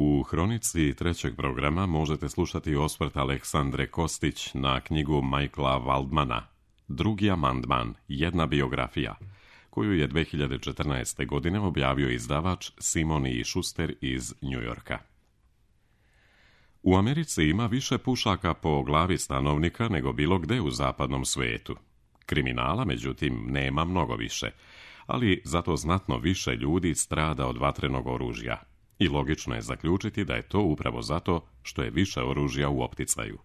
U hronici trećeg programa možete slušati osvrt Aleksandre Kostić na knjigu Michaela Waldmana Drugi amandman, jedna biografija, koju je 2014. godine objavio izdavač Simon i Schuster iz New Yorka. U Americi ima više pušaka po glavi stanovnika nego bilo gde u zapadnom svijetu. Kriminala, međutim, nema mnogo više, ali zato znatno više ljudi strada od vatrenog oružja. I logično je zaključiti da je to upravo zato što je više oružja u opticaju.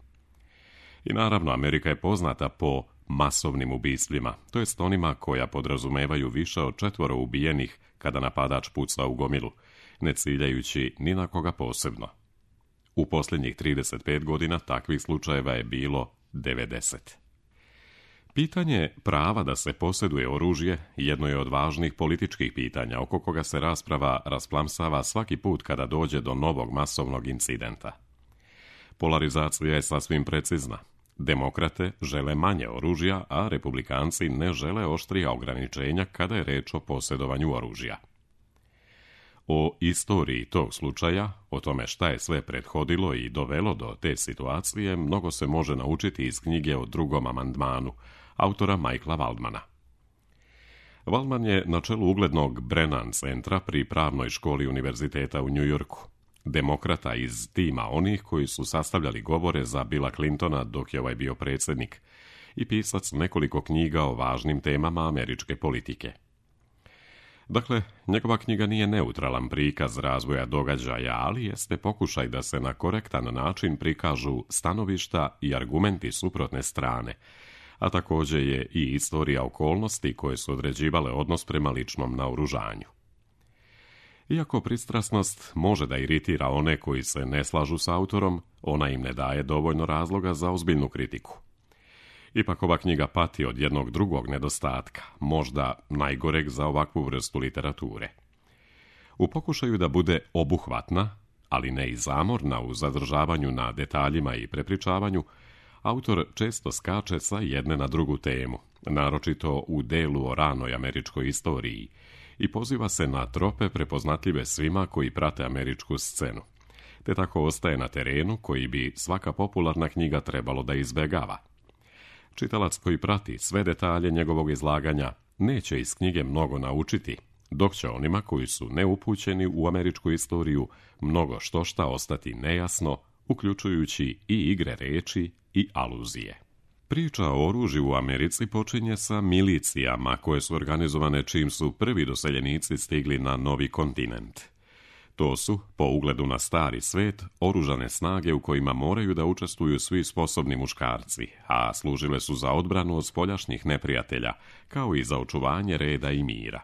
I naravno, Amerika je poznata po masovnim ubistvima, to jest onima koja podrazumevaju više od 4 ubijenih kada napadač puca u gomilu, ne ciljajući ni na koga posebno. U posljednjih 35 godina takvih slučajeva je bilo 90. Pitanje prava da se posjeduje oružje jedno je od važnih političkih pitanja oko koga se rasprava rasplamsava svaki put kada dođe do novog masovnog incidenta. Polarizacija je sasvim precizna. Demokrate žele manje oružja, a republikanci ne žele oštrija ograničenja kada je reč o posjedovanju oružja. O istoriji tog slučaja, o tome šta je sve prethodilo i dovelo do te situacije, mnogo se može naučiti iz knjige o drugom amandmanu, autora Michaela Waldmana. Waldman je na čelu uglednog Brennan centra pri pravnoj školi univerziteta u New Yorku, demokrata iz tima onih koji su sastavljali govore za Billa Clintona dok je ovaj bio predsjednik i pisac nekoliko knjiga o važnim temama američke politike. Dakle, njegova knjiga nije neutralan prikaz razvoja događaja, ali jeste pokušaj da se na korektan način prikažu stanovišta i argumenti suprotne strane, a također je i istorija okolnosti koje su određivale odnos prema ličnom naoružanju. Iako pristrasnost može da iritira one koji se ne slažu s autorom, ona im ne daje dovoljno razloga za ozbiljnu kritiku. Ipak ova knjiga pati od jednog drugog nedostatka, možda najgoreg za ovakvu vrstu literature. U pokušaju da bude obuhvatna, ali ne i zamorna u zadržavanju na detaljima i prepričavanju, autor često skače sa jedne na drugu temu, naročito u delu o ranoj američkoj istoriji, i poziva se na trope prepoznatljive svima koji prate američku scenu, te tako ostaje na terenu koji bi svaka popularna knjiga trebalo da izbegava. Čitalac koji prati sve detalje njegovog izlaganja neće iz knjige mnogo naučiti, dok će onima koji su neupućeni u američku istoriju mnogo štošta ostati nejasno, uključujući i igre reči i aluzije. Priča o oružju u Americi počinje sa milicijama koje su organizovane čim su prvi doseljenici stigli na novi kontinent. To su, po ugledu na stari svet, oružane snage u kojima moraju da učestvuju svi sposobni muškarci, a služile su za odbranu od spoljašnjih neprijatelja, kao i za očuvanje reda i mira.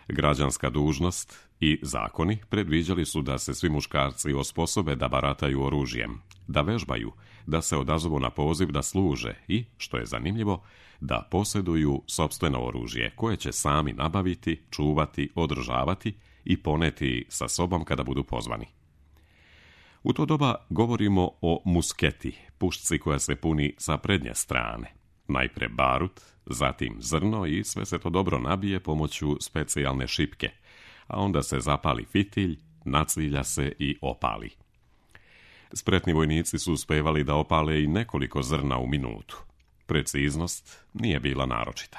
Građanska dužnost i zakoni predviđali su da se svi muškarci osposobe da barataju oružjem, da vežbaju, da se odazovu na poziv da služe i, što je zanimljivo, da posjeduju sopstveno oružje koje će sami nabaviti, čuvati, održavati i poneti sa sobom kada budu pozvani. U to doba govorimo o musketi, pušci koja se puni sa prednje strane. Najpre barut, zatim zrno i sve se to dobro nabije pomoću specijalne šipke, a onda se zapali fitilj, nacilja se i opali. Spretni vojnici su uspevali da opale i nekoliko zrna u minutu. Preciznost nije bila naročita.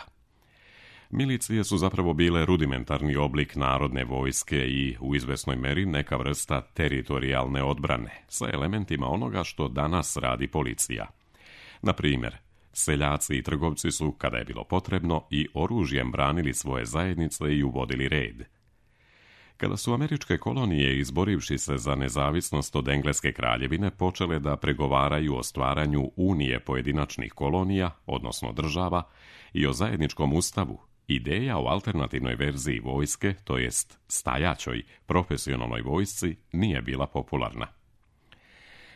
Milicije su zapravo bile rudimentarni oblik narodne vojske i u izvesnoj meri neka vrsta teritorijalne odbrane sa elementima onoga što danas radi policija. Na primjer, seljaci i trgovci su, kada je bilo potrebno, i oružjem branili svoje zajednice i uvodili red. Kada su američke kolonije, izborivši se za nezavisnost od Engleske kraljevine, počele da pregovaraju o stvaranju unije pojedinačnih kolonija, odnosno država, i o zajedničkom ustavu, ideja o alternativnoj verziji vojske, to jest stajaćoj, profesionalnoj vojsci, nije bila popularna.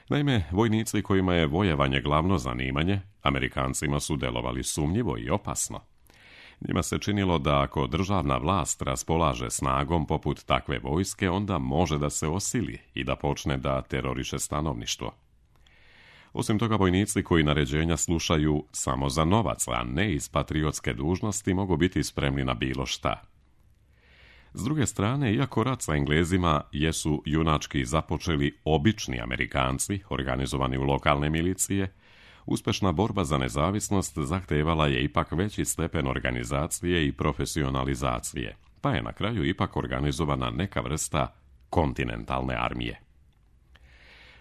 Naime, vojnici kojima je vojevanje glavno zanimanje, Amerikancima su delovali sumnjivo i opasno. Njima se činilo da ako državna vlast raspolaže snagom poput takve vojske, onda može da se osili i da počne da teroriše stanovništvo. Osim toga, vojnici koji naređenja slušaju samo za novac, a ne iz patriotske dužnosti, mogu biti spremni na bilo šta. S druge strane, iako rat sa Englezima jesu junački započeli obični Amerikanci, organizovani u lokalne milicije, uspešna borba za nezavisnost zahtevala je ipak veći stepen organizacije i profesionalizacije, pa je na kraju ipak organizovana neka vrsta kontinentalne armije.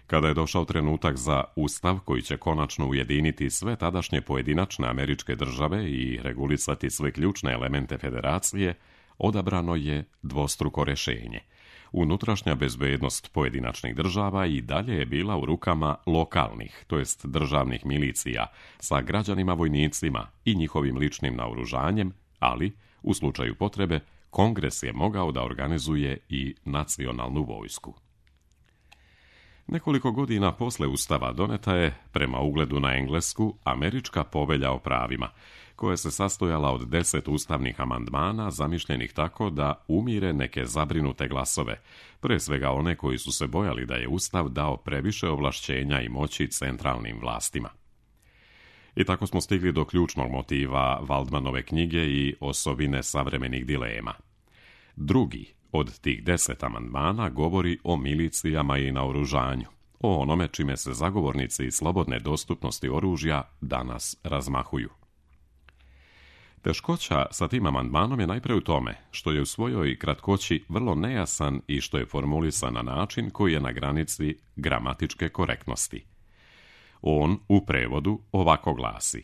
Kada je došao trenutak za ustav koji će konačno ujediniti sve tadašnje pojedinačne američke države i regulisati sve ključne elemente federacije, odabrano je dvostruko rješenje. Unutrašnja bezbednost pojedinačnih država i dalje je bila u rukama lokalnih, to jest državnih milicija, sa građanima vojnicima i njihovim ličnim naoružanjem, ali, u slučaju potrebe, Kongres je mogao da organizuje i nacionalnu vojsku. Nekoliko godina posle Ustava doneta je, prema ugledu na Englesku, Američka povelja o pravima, koja se sastojala od 10 ustavnih amandmana zamišljenih tako da umire neke zabrinute glasove, pre svega one koji su se bojali da je Ustav dao previše ovlašćenja i moći centralnim vlastima. I tako smo stigli do ključnog motiva Waldmanove knjige i osobine savremenih dilema. Drugi od tih 10 amandmana govori o milicijama i naoružanju, o onome čime se zagovornici slobodne dostupnosti oružja danas razmahuju. Teškoća sa tim amandmanom je najpre u tome što je u svojoj kratkoći vrlo nejasan i što je formulisan na način koji je na granici gramatičke korektnosti. On u prevodu ovako glasi: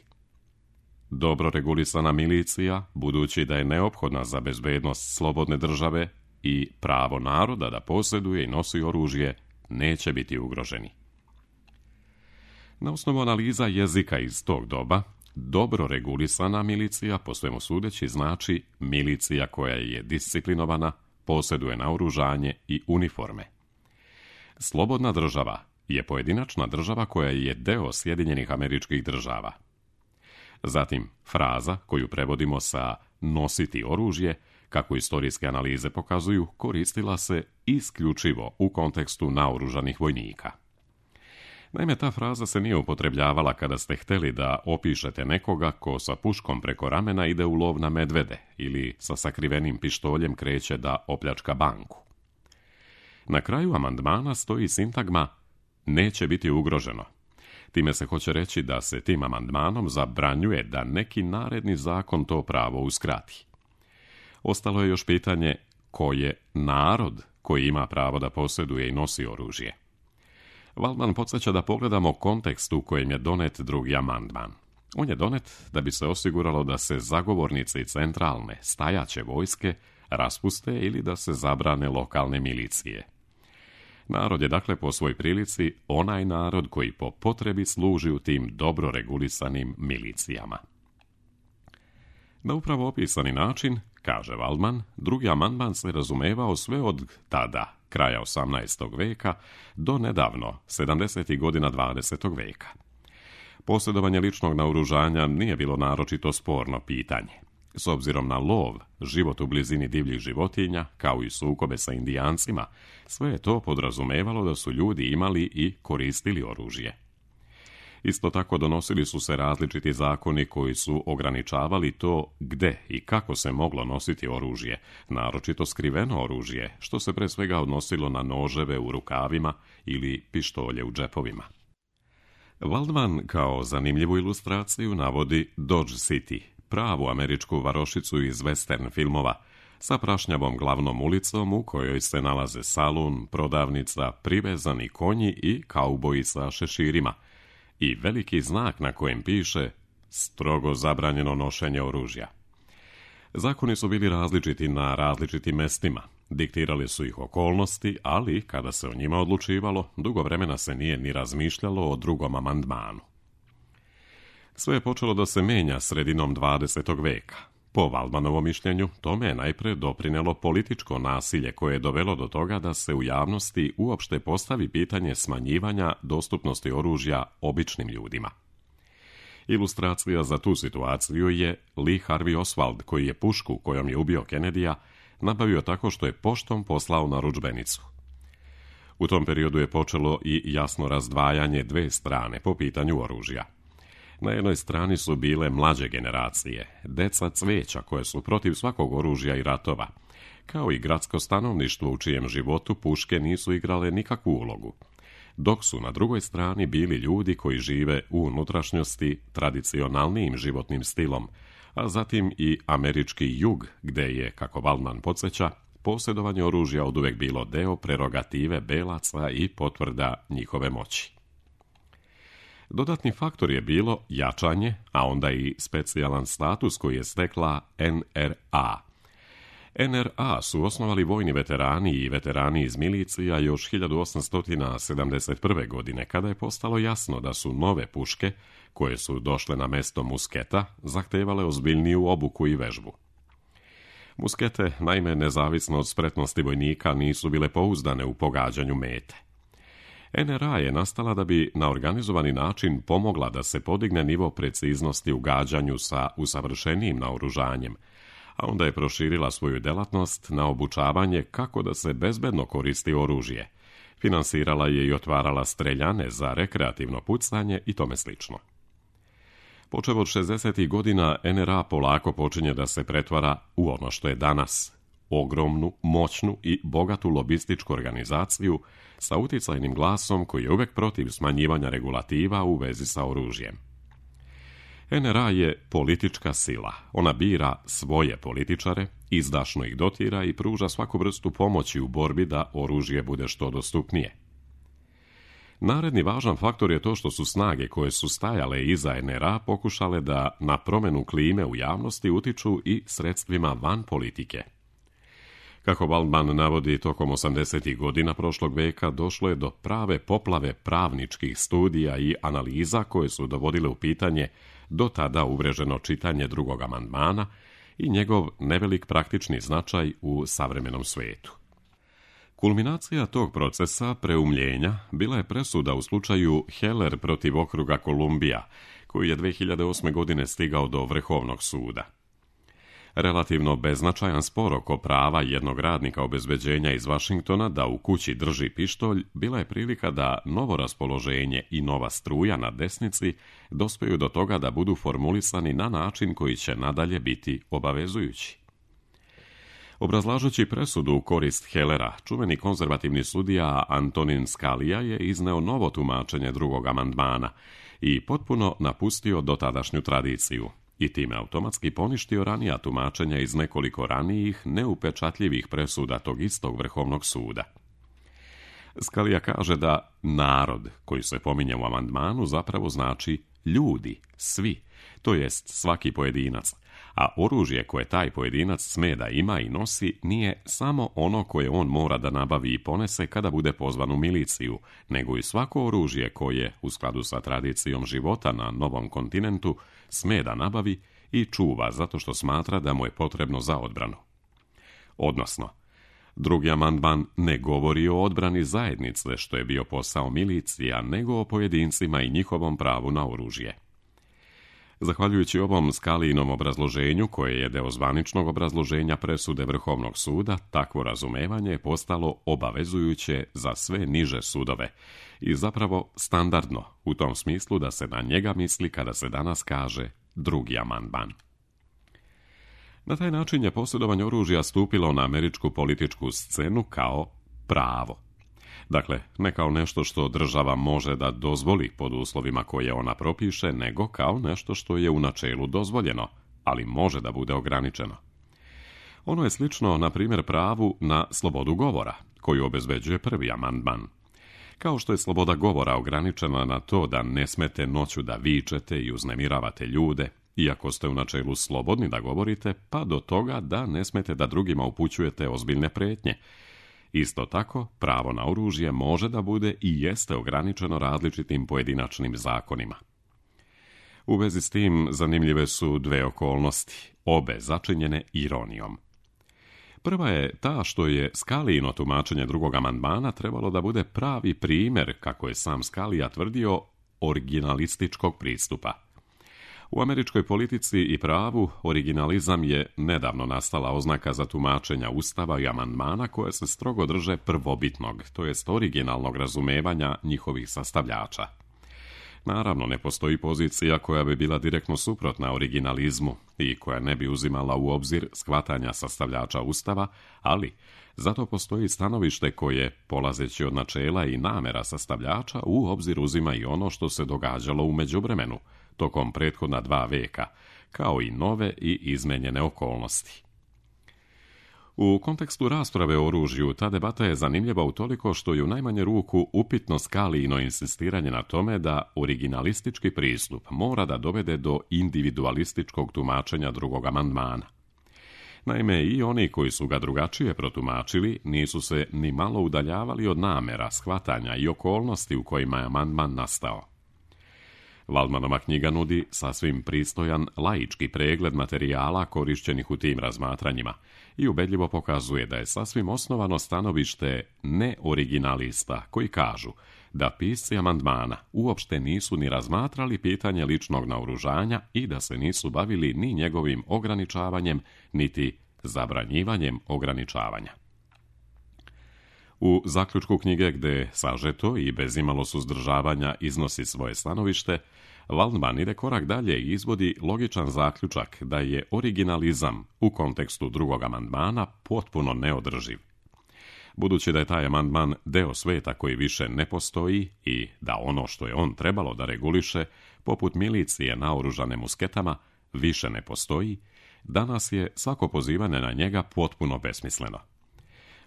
dobro regulisana milicija, budući da je neophodna za bezbednost slobodne države i pravo naroda da posjeduje i nosi oružje, neće biti ugroženi. Na osnovu analiza jezika iz tog doba, dobro regulisana milicija, po svemu sudeći, znači milicija koja je disciplinovana, posjeduje naoružanje i uniforme. Slobodna država je pojedinačna država koja je deo Sjedinjenih Američkih Država. Zatim, fraza koju prevodimo sa nositi oružje, kako istorijske analize pokazuju, koristila se isključivo u kontekstu naoružanih vojnika. Naime, ta fraza se nije upotrebljavala kada ste hteli da opišete nekoga ko sa puškom preko ramena ide u lov na medvede ili sa sakrivenim pištoljem kreće da opljačka banku. Na kraju amandmana stoji sintagma neće biti ugroženo. Time se hoće reći da se tim amandmanom zabranjuje da neki naredni zakon to pravo uskrati. Ostalo je još pitanje ko je narod koji ima pravo da posjeduje i nosi oružje. Waldman podsjeća da pogledamo kontekst u kojem je donet drugi amandman. On je donet da bi se osiguralo da se zagovornici centralne, stajaće vojske raspuste ili da se zabrane lokalne milicije. Narod je dakle po svoj prilici onaj narod koji po potrebi služi u tim dobro regulisanim milicijama. Na upravo opisani način, kaže Waldman, drugi amandman se razumevao sve od tada, kraja 18. veka, do nedavno, 70. godina 20. veka. Posjedovanje ličnog naoružanja nije bilo naročito sporno pitanje. S obzirom na lov, život u blizini divljih životinja, kao i sukobe sa Indijancima, sve je to podrazumevalo da su ljudi imali i koristili oružje. Isto tako donosili su se različiti zakoni koji su ograničavali to gde i kako se moglo nositi oružje, naročito skriveno oružje, što se pre svega odnosilo na noževe u rukavima ili pištolje u džepovima. Waldman kao zanimljivu ilustraciju navodi Dodge City, pravu američku varošicu iz western filmova, sa prašnjavom glavnom ulicom u kojoj se nalaze salun, prodavnica, privezani konji i kauboji sa šeširima, i veliki znak na kojem piše strogo zabranjeno nošenje oružja. Zakoni su bili različiti na različitim mestima, diktirali su ih okolnosti, ali kada se o njima odlučivalo, dugo vremena se nije ni razmišljalo o drugom amandmanu. Sve je počelo da se menja sredinom 20. veka. Po Waldmanovom mišljenju, tome je najpre doprinelo političko nasilje koje je dovelo do toga da se u javnosti uopšte postavi pitanje smanjivanja dostupnosti oružja običnim ljudima. Ilustracija za tu situaciju je Lee Harvey Oswald, koji je pušku kojom je ubio Kennedyja nabavio tako što je poštom poslao narudžbenicu. U tom periodu je počelo i jasno razdvajanje dve strane po pitanju oružja. Na jednoj strani su bile mlađe generacije, deca cveća koje su protiv svakog oružja i ratova, kao i gradsko stanovništvo u čijem životu puške nisu igrale nikakvu ulogu, dok su na drugoj strani bili ljudi koji žive u unutrašnjosti tradicionalnijim životnim stilom, a zatim i američki jug, gde je, kako Waldman podsjeća, posjedovanje oružja oduvek bilo deo prerogative belaca i potvrda njihove moći. Dodatni faktor je bilo jačanje, a onda i specijalan status koji je stekla NRA. NRA su osnovali vojni veterani i veterani iz milicija još 1871. godine, kada je postalo jasno da su nove puške, koje su došle na mesto musketa, zahtevale ozbiljniju obuku i vežbu. Muskete, naime, nezavisno od spretnosti vojnika, nisu bile pouzdane u pogađanju mete. NRA je nastala da bi na organizovani način pomogla da se podigne nivo preciznosti u gađanju sa usavršenijim naoružanjem, a onda je proširila svoju delatnost na obučavanje kako da se bezbedno koristi oružje. Finansirala je i otvarala streljane za rekreativno pucanje i tome slično. Počev od 60. godina, NRA polako počinje da se pretvara u ono što je danas, ogromnu, moćnu i bogatu lobističku organizaciju sa uticajnim glasom koji je uvek protiv smanjivanja regulativa u vezi sa oružjem. NRA je politička sila. Ona bira svoje političare, izdašno ih dotira i pruža svaku vrstu pomoći u borbi da oružje bude što dostupnije. Naredni važan faktor je to što su snage koje su stajale iza NRA pokušale da na promenu klime u javnosti utiču i sredstvima van politike. Kako Waldman navodi, tokom 80. godina prošlog veka došlo je do prave poplave pravničkih studija i analiza koje su dovodile u pitanje do tada uvreženo čitanje drugog amandmana i njegov nevelik praktični značaj u savremenom svetu. Kulminacija tog procesa preumljenja bila je presuda u slučaju Heller protiv okruga Kolumbija, koji je 2008. godine stigao do Vrhovnog suda. Relativno beznačajan spor oko prava jednog radnika obezbeđenja iz Vašingtona da u kući drži pištolj bila je prilika da novo raspoloženje i nova struja na desnici dospeju do toga da budu formulisani na način koji će nadalje biti obavezujući. Obrazlažući presudu u korist Hellera, čuveni konzervativni sudija Antonin Scalia je izneo novo tumačenje drugog amandmana i potpuno napustio dotadašnju tradiciju i time automatski poništio ranija tumačenja iz nekoliko ranijih neupečatljivih presuda tog istog Vrhovnog suda. Scalia kaže da narod koji se pominje u amandmanu zapravo znači ljudi, svi, to jest svaki pojedinac, a oružje koje taj pojedinac sme da ima i nosi nije samo ono koje on mora da nabavi i ponese kada bude pozvan u miliciju, nego i svako oružje koje, u skladu sa tradicijom života na novom kontinentu, sme da nabavi i čuva zato što smatra da mu je potrebno za odbranu. Odnosno, drugi amandman ne govori o odbrani zajednice, što je bio posao milicija, nego o pojedincima i njihovom pravu na oružje. Zahvaljujući ovom Scalijinom obrazloženju, koje je deo zvaničnog obrazloženja presude Vrhovnog suda, takvo razumevanje je postalo obavezujuće za sve niže sudove i zapravo standardno, u tom smislu da se na njega misli kada se danas kaže drugi amandman. Na taj način je posjedovanje oružja stupilo na američku političku scenu kao pravo. Dakle, ne kao nešto što država može da dozvoli pod uslovima koje ona propiše, nego kao nešto što je u načelu dozvoljeno, ali može da bude ograničeno. Ono je slično, na primjer, pravu na slobodu govora, koju obezbeđuje prvi amandman. Kao što je sloboda govora ograničena na to da ne smete noću da vičete i uznemiravate ljude, iako ste u načelu slobodni da govorite, pa do toga da ne smete da drugima upućujete ozbiljne pretnje. Isto tako, pravo na oružje može da bude i jeste ograničeno različitim pojedinačnim zakonima. U vezi s tim zanimljive su dve okolnosti, obe začinjene ironijom. Prva je ta što je Scalijino tumačenje drugog amandmana trebalo da bude pravi primjer, kako je sam Scalia tvrdio, originalističkog pristupa. U američkoj politici i pravu originalizam je nedavno nastala oznaka za tumačenja Ustava i amandmana koje se strogo drže prvobitnog, to jest originalnog razumevanja njihovih sastavljača. Naravno, ne postoji pozicija koja bi bila direktno suprotna originalizmu i koja ne bi uzimala u obzir shvatanja sastavljača Ustava, ali zato postoji stanovište koje, polazeći od načela i namera sastavljača, u obzir uzima i ono što se događalo u međuvremenu, tokom prethodna 2 veka, kao i nove i izmenjene okolnosti. U kontekstu rasprave o oružju, ta debata je zanimljiva utoliko što je u najmanje ruku upitno Scalijino insistiranje na tome da originalistički pristup mora da dovede do individualističkog tumačenja drugog amandmana. Naime, i oni koji su ga drugačije protumačili nisu se ni malo udaljavali od namera, shvatanja i okolnosti u kojima je amandman nastao. Waldmanova knjiga nudi sasvim pristojan laički pregled materijala korišćenih u tim razmatranjima i ubedljivo pokazuje da je sasvim osnovano stanovište neoriginalista koji kažu da pisci amandmana uopšte nisu ni razmatrali pitanje ličnog naoružanja i da se nisu bavili ni njegovim ograničavanjem, niti zabranjivanjem ograničavanja. U zaključku knjige, gde sažeto i bez imalo suzdržavanja iznosi svoje stanovište, Waldman ide korak dalje i izvodi logičan zaključak da je originalizam u kontekstu drugog amandmana potpuno neodrživ. Budući da je taj amandman deo sveta koji više ne postoji i da ono što je on trebalo da reguliše, poput milicije naoružane musketama, više ne postoji, danas je svako pozivanje na njega potpuno besmisleno.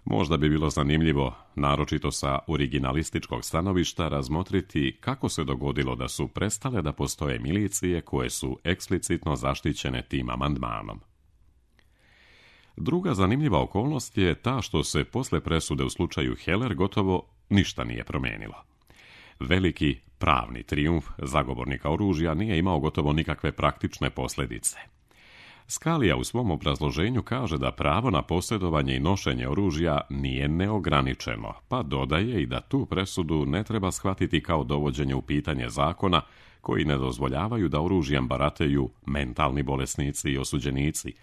Možda bi bilo zanimljivo, naročito sa originalističkog stanovišta, razmotriti kako se dogodilo da su prestale da postoje milicije koje su eksplicitno zaštićene tim amandmanom. Druga zanimljiva okolnost je ta što se posle presude u slučaju Heller gotovo ništa nije promenilo. Veliki pravni trijumf zagovornika oružja nije imao gotovo nikakve praktične posljedice. Scalia u svom obrazloženju kaže da pravo na posjedovanje i nošenje oružja nije neograničeno, pa dodaje i da tu presudu ne treba shvatiti kao dovođenje u pitanje zakona koji ne dozvoljavaju da oružjem barateju mentalni bolesnici i osuđenici,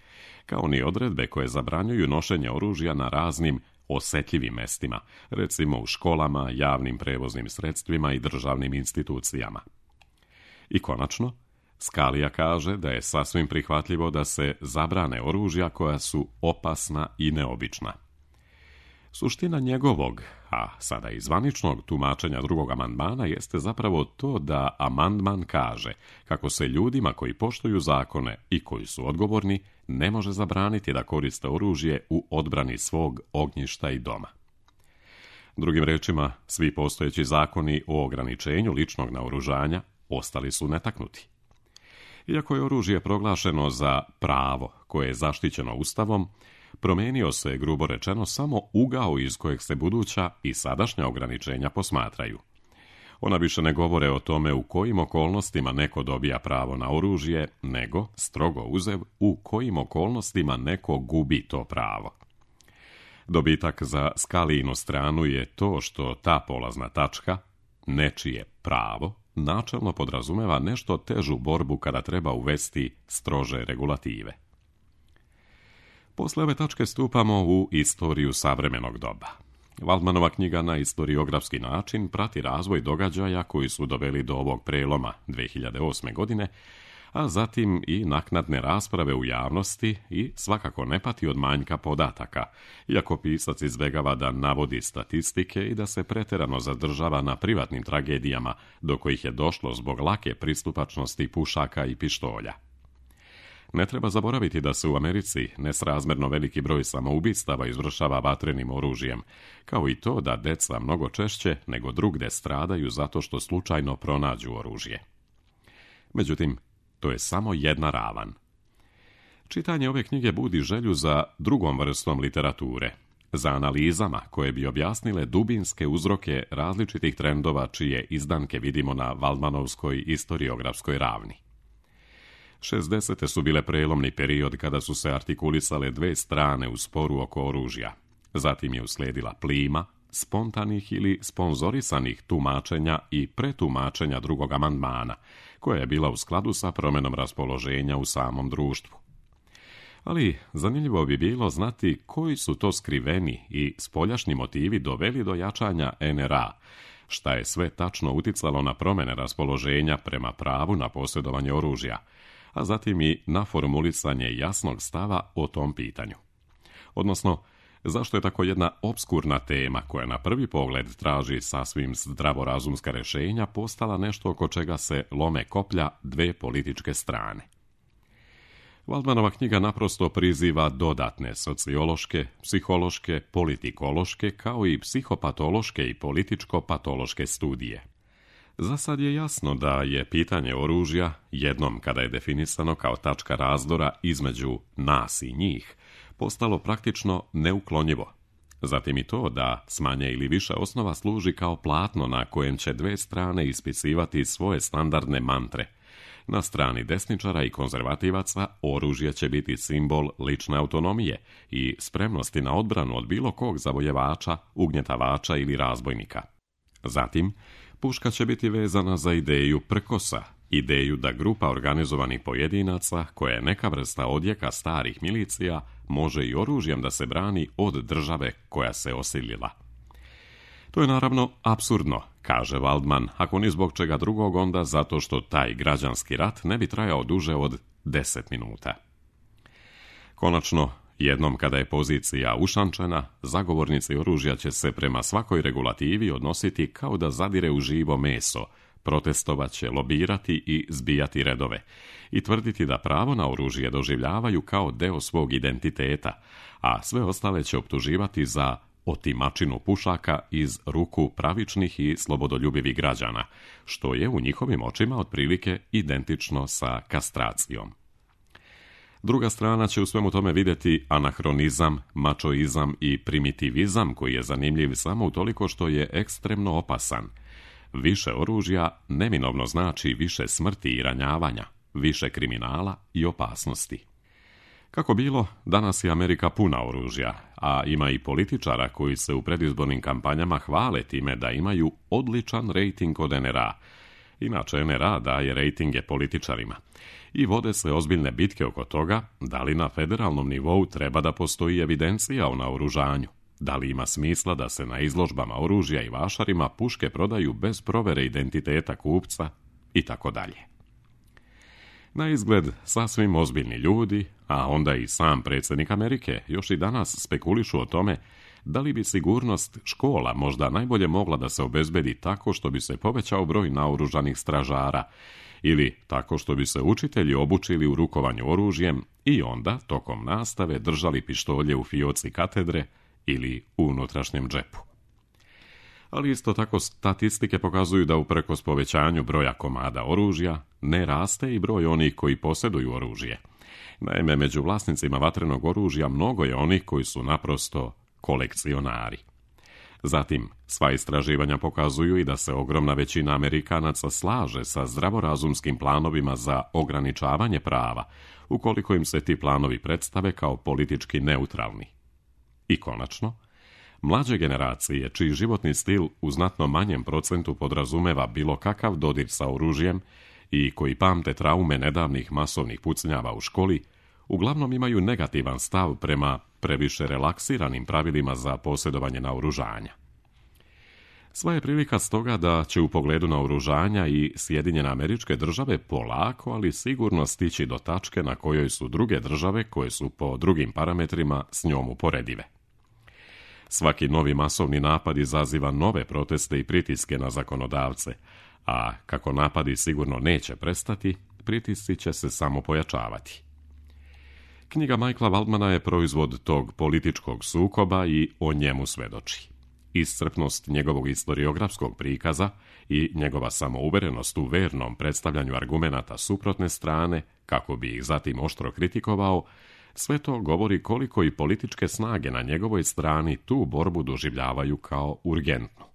kao ni odredbe koje zabranjuju nošenje oružja na raznim osetljivim mestima, recimo u školama, javnim prevoznim sredstvima i državnim institucijama. I konačno, Scalia kaže da je sasvim prihvatljivo da se zabrane oružja koja su opasna i neobična. Suština njegovog, a sada i zvaničnog tumačenja drugog amandmana jeste zapravo to da amandman kaže kako se ljudima koji poštuju zakone i koji su odgovorni ne može zabraniti da koriste oružje u odbrani svog ognjišta i doma. Drugim rečima, svi postojeći zakoni o ograničenju ličnog naoružanja ostali su netaknuti. Iako je oružje proglašeno za pravo koje je zaštićeno Ustavom, promenio se, grubo rečeno, samo ugao iz kojeg se buduća i sadašnja ograničenja posmatraju. Ona više ne govore o tome u kojim okolnostima neko dobija pravo na oružje, nego, strogo uzev, u kojim okolnostima neko gubi to pravo. Dobitak za Scalijinu stranu je to što ta polazna tačka, nečije pravo, načelno podrazumeva nešto težu borbu kada treba uvesti strože regulative. Posle ove tačke stupamo u istoriju savremenog doba. Waldmanova knjiga na istoriografski način prati razvoj događaja koji su doveli do ovog preloma 2008. godine, a zatim i naknadne rasprave u javnosti i svakako ne pati od manjka podataka, iako pisac izbegava da navodi statistike i da se preterano zadržava na privatnim tragedijama do kojih je došlo zbog lake pristupačnosti pušaka i pištolja. Ne treba zaboraviti da se u Americi nesrazmerno veliki broj samoubistava izvršava vatrenim oružjem, kao i to da deca mnogo češće nego drugde stradaju zato što slučajno pronađu oružje. Međutim, to je samo jedna ravan. Čitanje ove knjige budi želju za drugom vrstom literature, za analizama koje bi objasnile dubinske uzroke različitih trendova čije izdanke vidimo na Waldmanovskoj istoriografskoj ravni. 60. su bile prelomni period kada su se artikulisale dve strane u sporu oko oružja. Zatim je usledila plima spontanih ili sponzorisanih tumačenja i pretumačenja drugog amandmana, koja je bila u skladu sa promenom raspoloženja u samom društvu. Ali zanimljivo bi bilo znati koji su to skriveni i spoljašnji motivi doveli do jačanja NRA, šta je sve tačno uticalo na promjene raspoloženja prema pravu na posjedovanje oružja, a zatim i na formulisanje jasnog stava o tom pitanju. Odnosno, zašto je tako jedna opskurna tema koja na prvi pogled traži sasvim zdravorazumska rješenja postala nešto oko čega se lome koplja dve političke strane. Waldmanova knjiga naprosto priziva dodatne sociološke, psihološke, politikološke kao i psihopatološke i političko-patološke studije. Za sad je jasno da je pitanje oružja, jednom kada je definisano kao tačka razdora između nas i njih, postalo praktično neuklonjivo. Zatim i to da s manje ili više osnova služi kao platno na kojem će dve strane ispisivati svoje standardne mantre. Na strani desničara i konzervativaca oružje će biti simbol lične autonomije i spremnosti na odbranu od bilo kog zavojevača, ugnjetavača ili razbojnika. Zatim, puška će biti vezana za ideju prkosa, ideju da grupa organizovanih pojedinaca, koja je neka vrsta odjeka starih milicija, može i oružjem da se brani od države koja se osilila. To je naravno apsurdno, kaže Waldman, ako ni zbog čega drugog, onda zato što taj građanski rat ne bi trajao duže od 10 minuta. Konačno, jednom kada je pozicija ušančena, zagovornici oružja će se prema svakoj regulativi odnositi kao da zadire u živo meso, protestovat će, lobirati i zbijati redove i tvrditi da pravo na oružje doživljavaju kao deo svog identiteta, a sve ostale će optuživati za otimačinu pušaka iz ruku pravičnih i slobodoljubivih građana, što je u njihovim očima otprilike identično sa kastracijom. Druga strana će u svemu tome vidjeti anahronizam, mačoizam i primitivizam koji je zanimljiv samo utoliko što je ekstremno opasan. Više oružja neminovno znači više smrti i ranjavanja, više kriminala i opasnosti. Kako bilo, danas je Amerika puna oružja, a ima i političara koji se u predizbornim kampanjama hvale time da imaju odličan rejting od NRA. Inače, NRA daje rejtinge političarima. I vode se ozbiljne bitke oko toga da li na federalnom nivou treba da postoji evidencija o naoružanju, da li ima smisla da se na izložbama oružja i vašarima puške prodaju bez provere identiteta kupca i tako dalje. Na izgled sasvim ozbiljni ljudi, a onda i sam predsjednik Amerike, još i danas spekulišu o tome da li bi sigurnost škola možda najbolje mogla da se obezbedi tako što bi se povećao broj naoružanih stražara ili tako što bi se učitelji obučili u rukovanju oružjem i onda, tokom nastave, držali pištolje u fioci katedre ili u unutrašnjem džepu. Ali isto tako statistike pokazuju da uprkos povećanju broja komada oružja ne raste i broj onih koji posjeduju oružje. Naime, među vlasnicima vatrenog oružja mnogo je onih koji su naprosto kolekcionari. Zatim, sva istraživanja pokazuju i da se ogromna većina Amerikanaca slaže sa zdravorazumskim planovima za ograničavanje prava, ukoliko im se ti planovi predstave kao politički neutralni. I konačno, mlađe generacije, čiji životni stil u znatno manjem procentu podrazumeva bilo kakav dodir sa oružjem i koji pamte traume nedavnih masovnih pucnjava u školi, uglavnom imaju negativan stav prema previše relaksiranim pravilima za posjedovanje naoružanja. Sva je prilika stoga da će u pogledu naoružanja i Sjedinjene Američke Države polako, ali sigurno stići do tačke na kojoj su druge države koje su po drugim parametrima s njom uporedive. Svaki novi masovni napad izaziva nove proteste i pritiske na zakonodavce, a kako napadi sigurno neće prestati, pritisci će se samo pojačavati. Knjiga Michaela Waldmana je proizvod tog političkog sukoba i o njemu svedoči. Iscrpnost njegovog historiografskog prikaza i njegova samouverenost u vernom predstavljanju argumenata suprotne strane, kako bi ih zatim oštro kritikovao, sve to govori koliko i političke snage na njegovoj strani tu borbu doživljavaju kao urgentnu.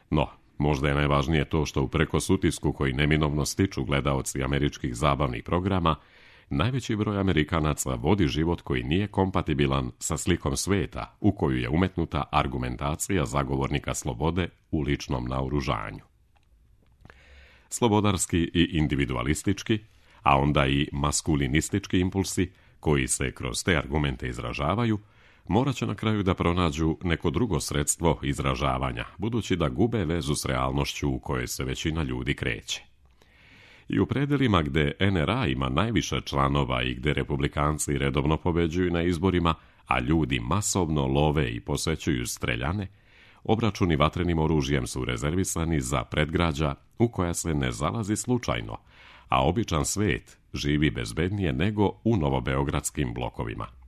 No, možda je najvažnije to što uprkos utisku koji neminovno stiču gledaoci američkih zabavnih programa, najveći broj Amerikanaca vodi život koji nije kompatibilan sa slikom sveta u koju je umetnuta argumentacija zagovornika slobode u ličnom naoružanju. Slobodarski i individualistički, a onda i maskulinistički impulsi, koji se kroz te argumente izražavaju, morat će na kraju da pronađu neko drugo sredstvo izražavanja, budući da gube vezu s realnošću u kojoj se većina ljudi kreće. I u predelima gde NRA ima najviše članova i gde republikanci redovno pobeđuju na izborima, a ljudi masovno love i posećuju streljane, obračuni vatrenim oružjem su rezervisani za predgrađa u koja se ne zalazi slučajno, a običan svet živi bezbednije nego u novobeogradskim blokovima.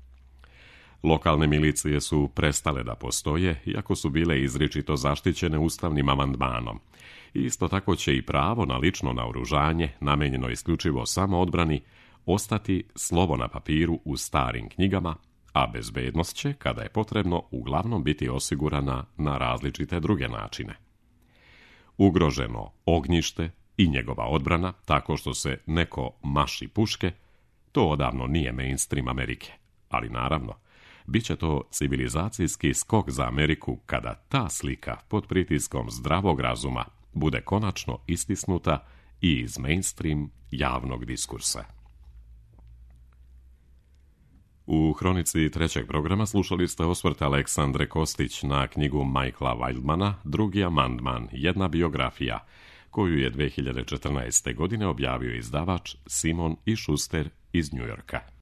Lokalne milicije su prestale da postoje, iako su bile izričito zaštićene ustavnim amandmanom. Isto tako će i pravo na lično naoružanje, namenjeno isključivo samo odbrani, ostati slovo na papiru u starim knjigama, a bezbednost će, kada je potrebno, uglavnom biti osigurana na različite druge načine. Ugroženo ognjište i njegova odbrana, tako što se neko maši puške, to odavno nije mainstream Amerike, ali naravno, bit će to civilizacijski skok za Ameriku kada ta slika pod pritiskom zdravog razuma bude konačno istisnuta i iz mainstream javnog diskursa. U hronici trećeg programa slušali ste osvrt Aleksandre Kostić na knjigu Michaela Wildmana Drugi amandman, jedna biografija, koju je 2014. godine objavio izdavač Simon i Schuster iz Njujorka.